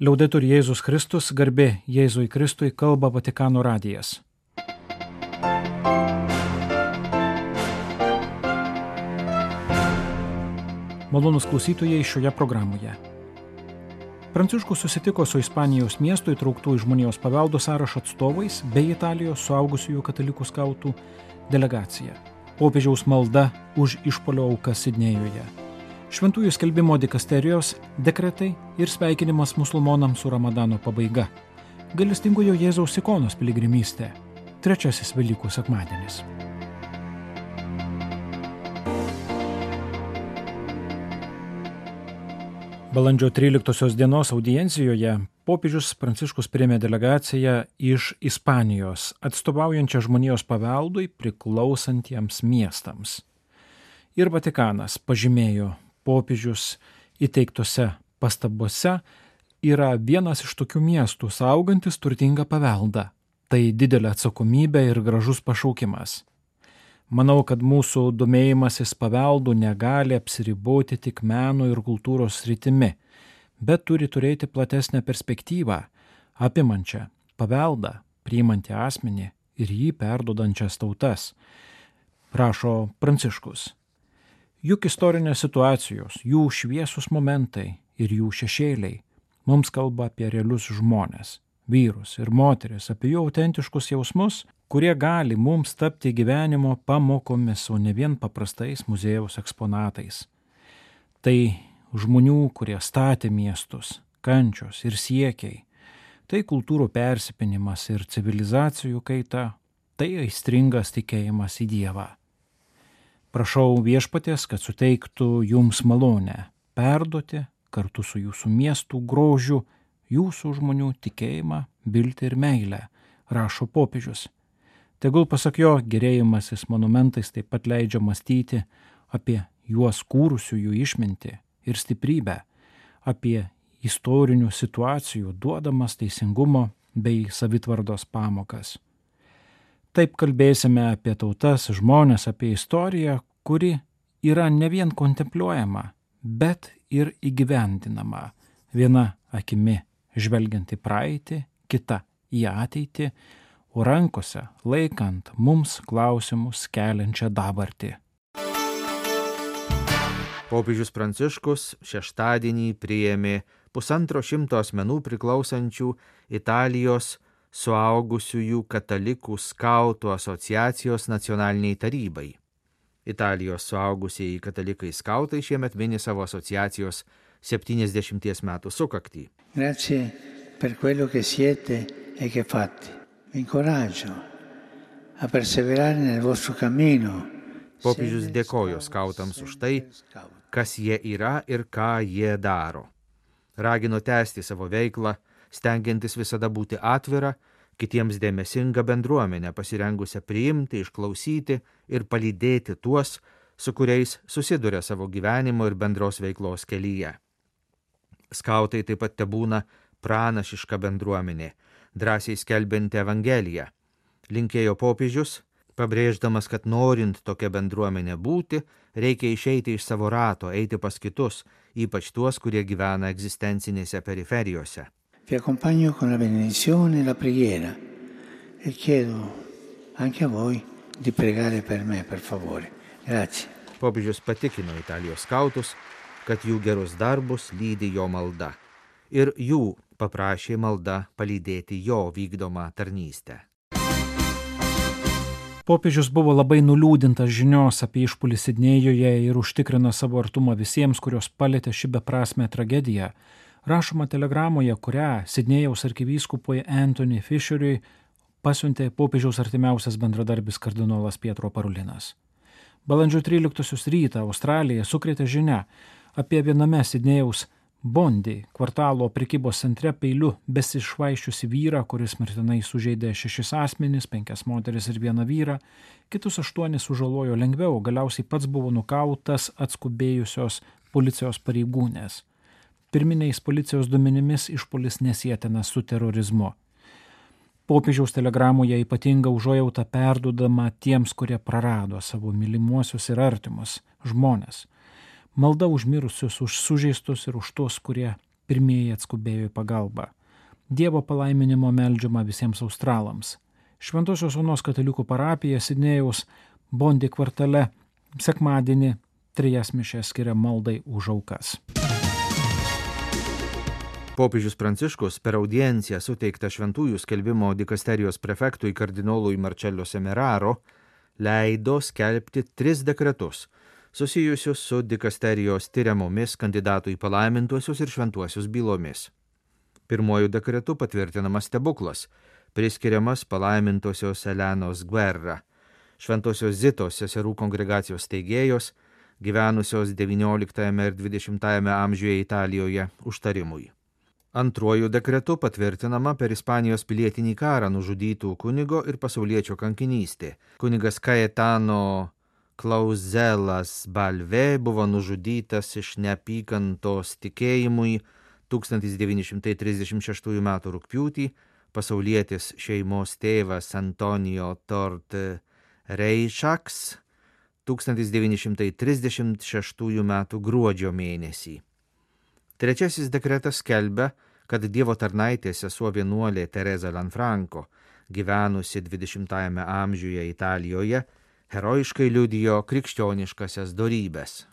Liaudetur Jėzus Kristus, garbė Jėzui Kristui, kalba Vatikano radijas. Malonūs klausytojai šioje programoje. Pranciškus susitiko su Ispanijos miestų įtrauktų į žmonijos paveldo sąrašą atstovais bei Italijos suaugusiųjų katalikų skautų delegacija. Popiežiaus malda už išpuolio aukas Sidnėjuje. Šventųjų skelbimo dikasterijos dekretai ir sveikinimas musulmonams su Ramadano pabaiga. Gailestingojo Jėzaus ikonos piligrimystė. Trečiasis Velykų sekmadienis. Balandžio 13 dienos audiencijoje popiežius Pranciškus priėmė delegaciją iš Ispanijos, atstovaujančią žmonijos paveldui priklausantiems miestams. Ir Vatikanas pažymėjo, popiežius įteiktose pastabose yra vienas iš tokių miestų saugantis turtingą paveldą. Tai didelė atsakomybė ir gražus pašaukimas. Manau, kad mūsų domėjimasis paveldu negali apsiriboti tik meno ir kultūros sritimi, bet turi turėti platesnę perspektyvą, apimančią paveldą, priimantį asmenį ir jį perduodančias tautas, rašo Pranciškus. Juk istorinės situacijos, jų šviesus momentai ir jų šešėliai mums kalba apie realius žmones, vyrus ir moteris, apie jų autentiškus jausmus, kurie gali mums tapti gyvenimo pamokomis, o ne vien paprastais muziejaus eksponatais. Tai žmonių, kurie statė miestus, kančios ir siekiai, tai kultūrų persipinimas ir civilizacijų kaita, tai aistringas tikėjimas į Dievą. Prašau Viešpaties, kad suteiktų jums malonę perduoti kartu su jūsų miestų grožiu jūsų žmonių tikėjimą, viltį ir meilę, rašo popiežius. Tegul pasak jo, gerėjimasis monumentais taip pat leidžia mąstyti apie juos kūrusiųjų išmintį ir stiprybę, apie istorinių situacijų duodamas teisingumo bei savitvardos pamokas. Taip kalbėsime apie tautas, žmones, apie istoriją, kuri yra ne vien kontempliuojama, bet ir įgyvendinama, viena akimi žvelgiant į praeitį, kita į ateitį, o rankose laikant mums klausimus keliančią dabartį. Popiežius Pranciškus šeštadienį priėmė 150 asmenų priklausančių Italijos suaugusiųjų katalikų skautų asociacijos nacionaliniai tarybai. Italijos suaugusieji katalikai skautai šiemet mini savo asociacijos 70 metų sukaktį. Grazie per quello che siete e che fate. Vi incoraggio a perseverare nel vostro cammino. Popiežius dėkojo skautams už tai, kas jie yra ir ką jie daro. Ragino tęsti savo veiklą, stengiantis visada būti atvira, kitiems dėmesinga bendruomenė, pasirengusią priimti, išklausyti ir palydėti tuos, su kuriais susiduria savo gyvenimo ir bendros veiklos kelyje. Skautai taip pat tebūna pranašiška bendruomenė, drąsiai skelbianti Evangeliją. Linkėjo popiežius, pabrėždamas, kad norint tokią bendruomenę būti, reikia išeiti iš savo rato, eiti pas kitus, ypač tuos, kurie gyvena egzistencinėse periferijose. Vi accompagno con la benedizione e la preghiera e chiedo anche a voi di pregare per me, per favore. Grazie. Popiežius patikino Italijos skautus, kad jų gerus darbus lydi jo malda ir jų paprašė malda palydėti jo vykdomą tarnystę. Popiežius buvo labai nuliūdintas žinios apie išpuolį Sidnėjuje ir užtikrino savo artumą visiems, kurios palėtė ši beprasmė tragedija, rašoma telegramoje, kurią Sidnėjaus arkivyskupui Anthony Fisheriui pasiuntė popiežiaus artimiausias bendradarbis kardinolas Pietro Parulinas. Balandžio 13 rytą Australija sukrėtė žinia apie viename Sidnėjaus Bondi kvartalo prekybos centre peiliu besišvaiščiusi vyrą, kuris mirtinai sužeidė 6 asmenis, 5 moteris ir 1 vyrą, kitus 8 sužalojo lengviau, galiausiai pats buvo nukautas atskubėjusios policijos pareigūnės. Pirminiais policijos duomenimis išpuolis nesietinas su terorizmu. Popiežiaus telegramoje ypatinga užuojauta perduodama tiems, kurie prarado savo mylimuosius ir artimus žmones. Malda už mirusius, už sužeistus ir už tuos, kurie pirmieji atskubėjo į pagalbą. Dievo palaiminimo meldžiama visiems australams. Šventosios Onos katalikų parapija Sidnėjaus Bondi kvartale sekmadienį 3 mišias skiria maldai už aukas. Popiežius Pranciškus per audienciją suteiktą šventųjų skelbimo dikasterijos prefektui kardinolui Marcello Semeraro leido skelbti 3 dekretus, susijusius su dikasterijos tyriamomis kandidatų į palaimintuosius ir šventuosius bylomis. Pirmuoju dekretu patvirtinamas stebuklas, priskiriamas palaimintosios Elenos Guerra, šventosios Zitos seserų kongregacijos steigėjos, gyvenusios XIX ir XX amžiuje Italijoje užtarimui. Antruoju dekretu patvirtinama per Ispanijos pilietinį karą nužudytų kunigo ir pasauliečio kankinystė. Kunigas Cayetano Clauzelas Balve buvo nužudytas iš neapykantos tikėjimui 1936 m. rugpjūtį, pasaulietis šeimos tėvas Antonio Tort Reišaks 1936 m. gruodžio mėnesį. Trečiasis dekretas skelbia, kad Dievo tarnaitė sesuo vienuolė Teresa Lanfranco, gyvenusi 20 amžiuje Italijoje, herojiškai liudijo krikščioniškasias dorybes.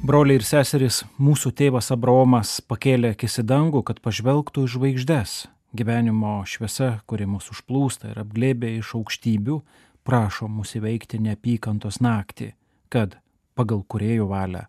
Broliai ir seserys, mūsų tėvas Abraomas pakėlė akis į dangų, kad pažvelgtų į žvaigždes. Gyvenimo šviesa, kuri mus užplūsta ir apglėbė iš aukštybių, prašo mus įveikti neapykantos naktį, kad pagal Kūrėjo valią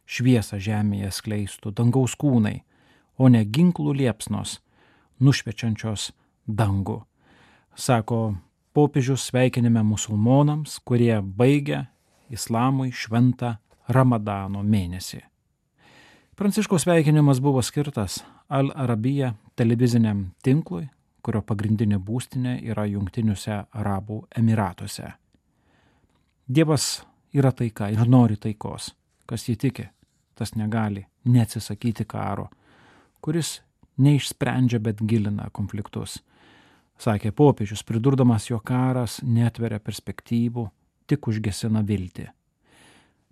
šviesą žemėje skleistų dangaus kūnai, o ne ginklų liepsnos, nušviečiančios dangų. Sako popiežius sveikinime musulmonams, kurie baigia islamui šventą Ramadano mėnesį. Pranciškaus sveikinimas buvo skirtas Al Arabija televiziniam tinklui, kurio pagrindinė būstinė yra Jungtiniuose Arabų Emiratuose. Dievas yra taika ir nori taikos. Kas jį tiki, tas negali neatsisakyti karo, kuris neišsprendžia, bet gilina konfliktus. Sakė popiežius, pridurdamas, jo karas netveria perspektyvų, tik užgesina viltį.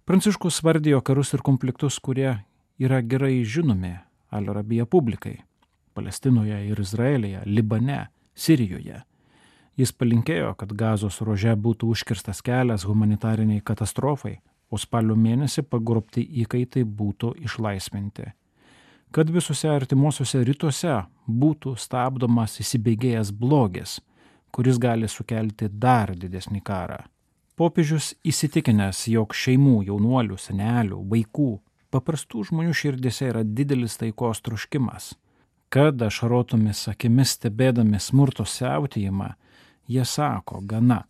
Pranciškus vardijo karus ir konfliktus, kurie yra gerai žinomi Al Arabija publikai – Palestinoje ir Izraelyje, Libane, Sirijoje. Jis palinkėjo, kad Gazos ruože būtų užkirstas kelias humanitariniai katastrofai, o spalio mėnesį pagrobti įkaitai būtų išlaisvinti. Kad visuose artimuosiuose rytuose būtų stabdomas įsibėgėjęs blogis, kuris gali sukelti dar didesnį karą. Popiežius įsitikinęs, jog šeimų, jaunuolių, senelių, vaikų, paprastų žmonių širdėse yra didelis taikos troškimas. Kad ašarotomis akimis stebėdami smurto siautėjimą, jie sako, gana.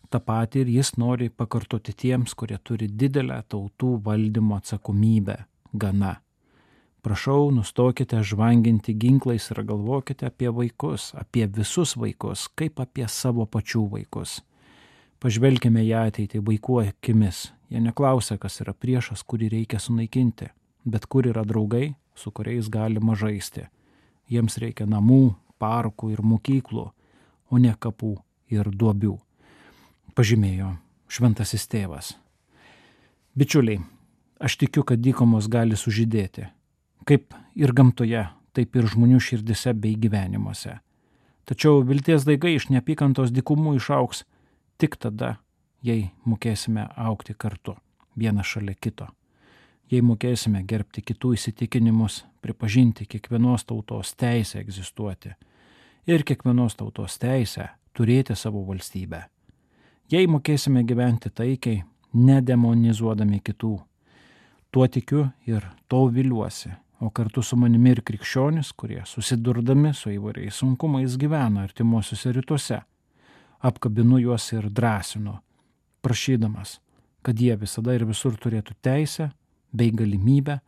Ta pati ir jis nori pakartoti tiems, kurie turi didelę tautų valdymo atsakomybę, gana. Prašau, nustokite žvanginti ginklais ir galvokite apie vaikus, apie visus vaikus, kaip apie savo pačių vaikus. Pažvelkime į ateitį vaikų akimis. Jie neklausia, kas yra priešas, kurį reikia sunaikinti, bet kur yra draugai, su kuriais galima žaisti. Jiems reikia namų, parkų ir mokyklų, o ne kapų ir duobių, pažymėjo šventasis tėvas. Bičiuliai, aš tikiu, kad dykumos gali sužydėti, kaip ir gamtoje, taip ir žmonių širdise bei gyvenimuose. Tačiau vilties daigai iš neapykantos dykumų išaugs tik tada, jei mokėsime augti kartu, vienas šalia kito. Jei mokėsime gerbti kitų įsitikinimus, pripažinti kiekvienos tautos teisę egzistuoti ir kiekvienos tautos teisę turėti savo valstybę. Jei mokėsime gyventi taikiai, nedemonizuodami kitų, tuo tikiu ir to viliuosi, o kartu su manimi ir krikščionis, kurie susidurdami su įvairiais sunkumais gyvena artimuosiuose rytuose. Apkabinu juos ir drąsinu, prašydamas, kad jie visada ir visur turėtų teisę bei galimybę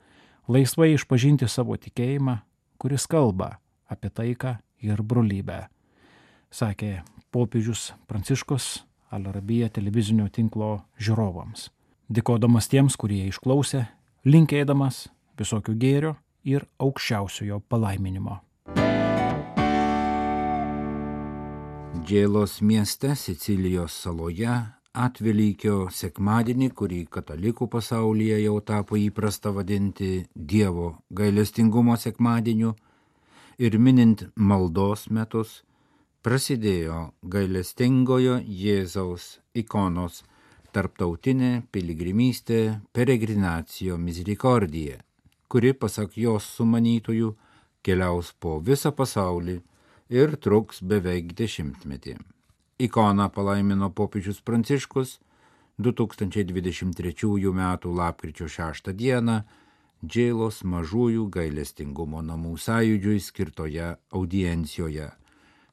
laisvai išpažinti savo tikėjimą, kuris kalba apie taiką ir brolybę, sakė popiežius Pranciškus Al Arabija televizinio tinklo žiūrovams. Dėkodamas tiems, kurie išklausė, linkėdamas visokių gėrio ir aukščiausiojo palaiminimo. Džėlos mieste Sicilijos saloje Atvelykio sekmadienį, kurį katalikų pasaulyje jau tapo įprasta vadinti Dievo gailestingumo sekmadieniu, ir minint maldos metus, prasidėjo gailestingojo Jėzaus ikonos tarptautinė piligrimystė Peregrinacio Misericordie, kuri, pasak jos sumanytojų, keliaus po visą pasaulį ir truks beveik 10-metį. Ikoną palaimino popiežius Pranciškus 2023 m. lapkričio 6 d. Džeilos mažųjų gailestingumo namų sąjūdžiui skirtoje audiencijoje.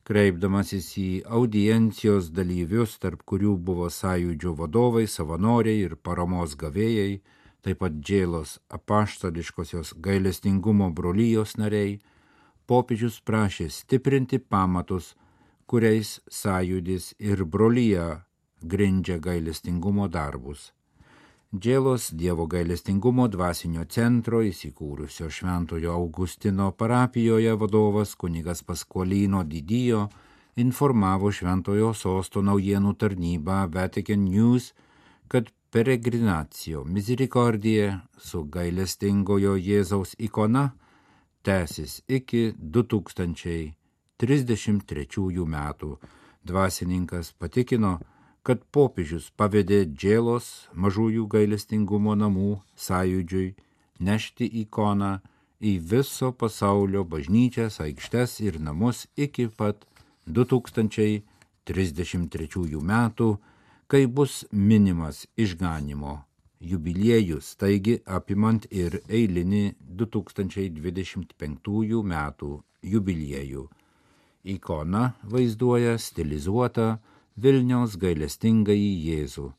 Kreipdamasis į audiencijos dalyvius, tarp kurių buvo sąjūdžio vadovai, savanoriai ir paramos gavėjai, taip pat Džeilos apaštališkosios gailestingumo brolijos nariai, popiežius prašė stiprinti pamatus, kuriais sąjūdis ir brolija grindžia gailestingumo darbus. Džeilos Dievo gailestingumo dvasinio centro įsikūrusio Šventojo Augustino parapijoje vadovas kunigas Pasqualino Didio informavo Šventojo sosto naujienų tarnybą Vatican News, kad Peregrinacio Misericordie su gailestingojo Jėzaus ikona tęsis iki 2033 metų. Dvasininkas patikino, kad popiežius pavedė Džeilos mažųjų gailestingumo namų sąjūdžiui nešti ikoną į viso pasaulio bažnyčias, aikštes ir namus iki pat 2033 metų, kai bus minimas išganymo jubiliejus, taigi apimant ir eilinį 2025 metų jubiliejų. Ikona vaizduoja stilizuotą Vilniaus gailestingąjį Jėzų.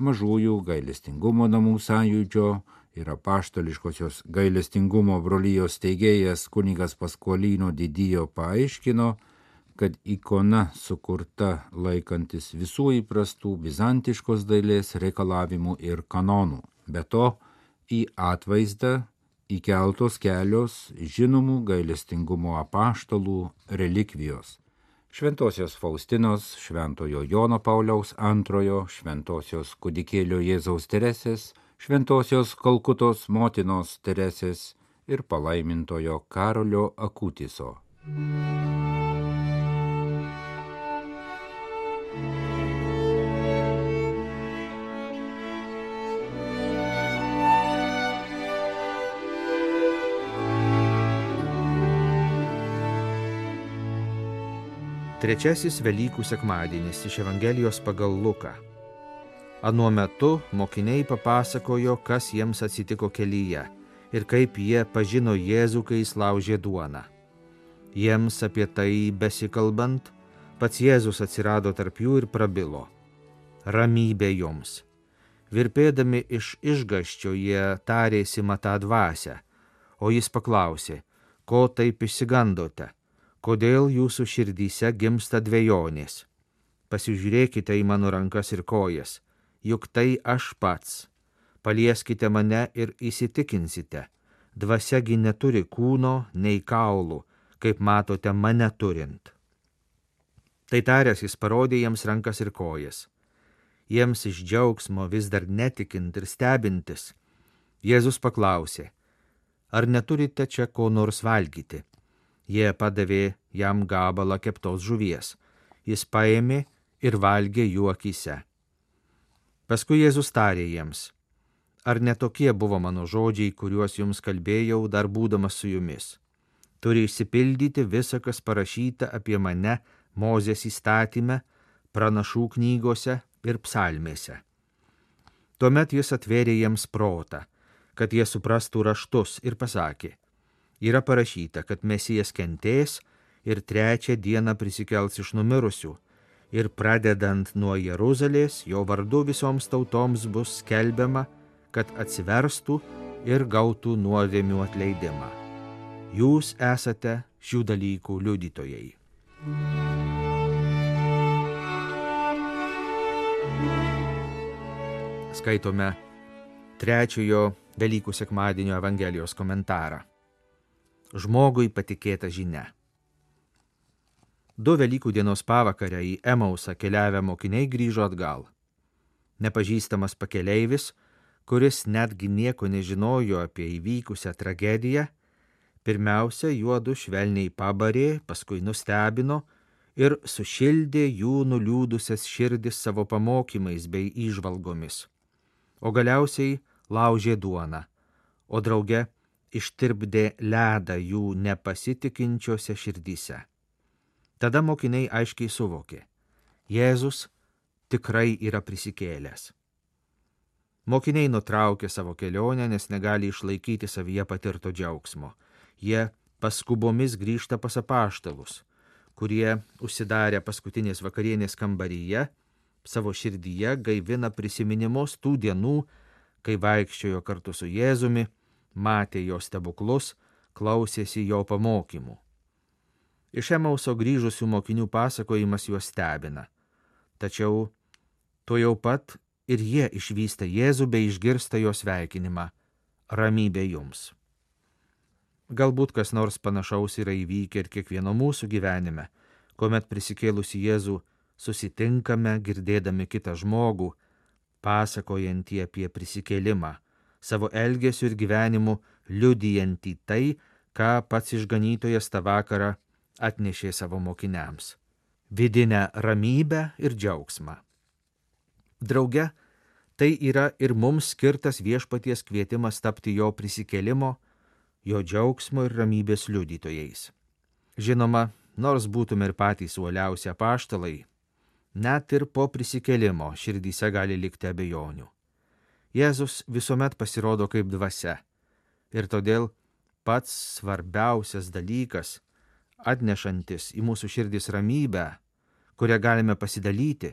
Mažųjų gailestingumo namų sąjūdžio ir apaštališkosios gailestingumo brolijos steigėjas kunigas Pasqualino Didio paaiškino, kad ikona sukurta laikantis visų įprastų bizantiškos dailės reikalavimų ir kanonų. Be to, į atvaizdą įkeltos kelios žinomų gailestingumo apaštalų relikvijos. Šventosios Faustinos, Šventojo Jono Pauliaus II, Šventosios Kūdikėlio Jėzaus Teresės, Šventosios Kalkutos motinos Teresės ir palaimintojo Karolio Akutiso. Trečiasis Velykų sekmadienis iš Evangelijos pagal Luką. Anuo metu mokiniai papasakojo, kas jiems atsitiko kelyje ir kaip jie pažino Jėzų, kai jis laužė duoną. Jiems apie tai besikalbant, pats Jėzus atsirado tarp jų ir prabilo: ramybė jums. Virpėdami iš išgąsčio jie tarėsi matą dvasią, o jis paklausė: ko taip išsigandote? Kodėl jūsų širdyse gimsta dvejonės? Pasižiūrėkite į mano rankas ir kojas, juk tai aš pats. Palieskite mane ir įsitikinsite, dvasiagi neturi kūno nei kaulų, kaip matote mane turint. Tai taręs jis parodė jiems rankas ir kojas. Jiems iš džiaugsmo vis dar netikint ir stebintis, Jėzus paklausė: ar neturite čia ko nors valgyti? Jie padavė jam gabalą keptos žuvies. Jis paėmė ir valgė jų akyse. Paskui Jėzus tarė jiems: ar netokie buvo mano žodžiai, kuriuos jums kalbėjau dar būdamas su jumis? Turi išsipildyti visa, kas parašyta apie mane Mozės įstatyme, pranašų knygose ir psalmėse. Tuomet jis atvėrė jiems protą, kad jie suprastų raštus, ir pasakė: yra parašyta, kad Mesijas kentės ir 3 dieną prisikels iš numirusių, ir pradedant nuo Jeruzalės, jo vardu visoms tautoms bus skelbiama, kad atsiverstų ir gautų nuodėmių atleidimą. Jūs esate šių dalykų liudytojai. Skaitome 3 Velykų sekmadienio Evangelijos komentarą. Žmogui patikėta žinia. 2 Velykų dienos pavakarę į Emausą keliavę mokiniai grįžo atgal. Nepažįstamas pakeleivis, kuris netgi nieko nežinojo apie įvykusią tragediją, pirmiausia juodu švelniai pabarė, paskui nustebino ir sušildė jų nuliūdusias širdis savo pamokymais bei įžvalgomis, o galiausiai laužė duoną, o drauge ištirpdė ledą jų nepasitikinčiose širdyse. Tada mokiniai aiškiai suvokė, Jėzus tikrai yra prisikėlęs. Mokiniai nutraukė savo kelionę, nes negali išlaikyti savyje patirto džiaugsmo. Jie paskubomis grįžta pas apaštalus, kurie užsidarę paskutinės vakarienės kambaryje, savo širdyje gaivina prisiminimus tų dienų, kai vaikščiojo kartu su Jėzumi, matė jo stebuklus, klausėsi jo pamokymų. Iš Emauso grįžusių mokinių pasakojimas juos stebina, tačiau tuojau pat ir jie išvysta Jėzų bei išgirsta jo sveikinimą – ramybė jums. Galbūt kas nors panašaus yra įvykę ir kiekvieno mūsų gyvenime, kuomet prisikėlusi Jėzų susitinkame, girdėdami kitą žmogų, pasakojantį apie prisikėlimą, savo elgesiu ir gyvenimu liudijantį tai, ką pats išganytojas tą vakarą atnešė savo mokiniams – vidinę ramybę ir džiaugsmą. Drauge, tai yra ir mums skirtas viešpaties kvietimas tapti jo prisikėlimo, jo džiaugsmo ir ramybės liudytojais. Žinoma, nors būtume ir patys uoliausi apaštalai, net ir po prisikėlimo širdyse gali likti abejonių. Jėzus visuomet pasirodo kaip dvasia ir todėl pats svarbiausias dalykas, atnešantis į mūsų širdis ramybę, kurią galime pasidalyti,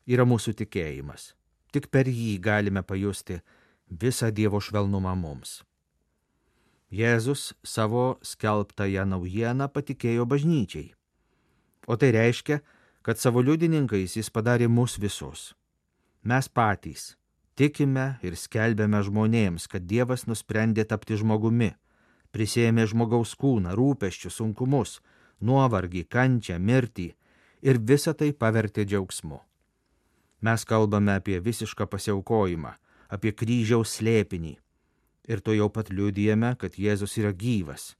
yra mūsų tikėjimas. Tik per jį galime pajusti visą Dievo švelnumą mums. Jėzus savo skelbtąją naujieną patikėjo bažnyčiai. O tai reiškia, kad savo liudininkais jis padarė mus visus. Mes patys tikime ir skelbėme žmonėms, kad Dievas nusprendė tapti žmogumi, prisėmė žmogaus kūną, rūpesčius, sunkumus, nuovargį, kančią, mirtį ir visą tai pavertė džiaugsmu. Mes kalbame apie visišką pasiaukojimą, apie kryžiaus slėpinį ir to jau pat liudijame, kad Jėzus yra gyvas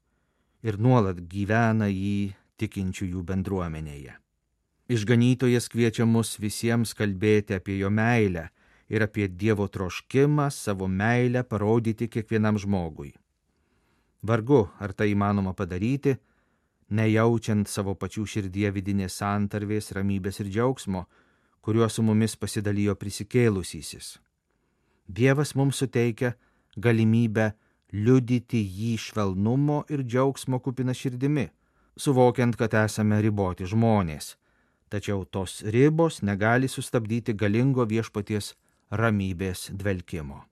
ir nuolat gyvena jį tikinčiųjų bendruomenėje. Išganytojas kviečia mus visiems kalbėti apie jo meilę ir apie Dievo troškimą savo meilę parodyti kiekvienam žmogui. Vargu, ar tai įmanoma padaryti, nejaučiant savo pačių širdyje vidinės santarvės, ramybės ir džiaugsmo, kuriuo su mumis pasidalijo prisikėlusysis. Dievas mums suteikia galimybę liudyti jį švelnumo ir džiaugsmo kupina širdimi, suvokiant, kad esame riboti žmonės, tačiau tos ribos negali sustabdyti galingo viešpaties ramybės dvelkimo.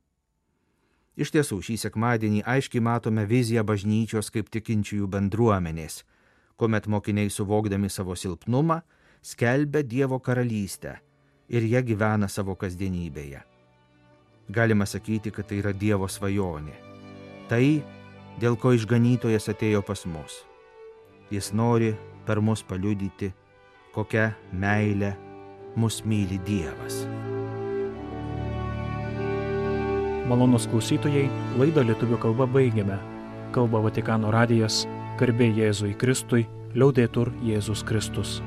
Iš tiesų, šį sekmadienį aiškiai matome viziją bažnyčios kaip tikinčiųjų bendruomenės, kuomet mokiniai suvokdami savo silpnumą, skelbia Dievo karalystę ir jie gyvena savo kasdienybėje. Galima sakyti, kad tai yra Dievo svajonė. Tai, dėl ko išganytojas atėjo pas mus. Jis nori per mus paliudyti, kokia meilė mus myli Dievas. Malonūs klausytojai, laidą lietuvių kalba baigiame. Kalba Vatikano radijas, garbė Jėzui Kristui, liaudetur Jėzus Kristus.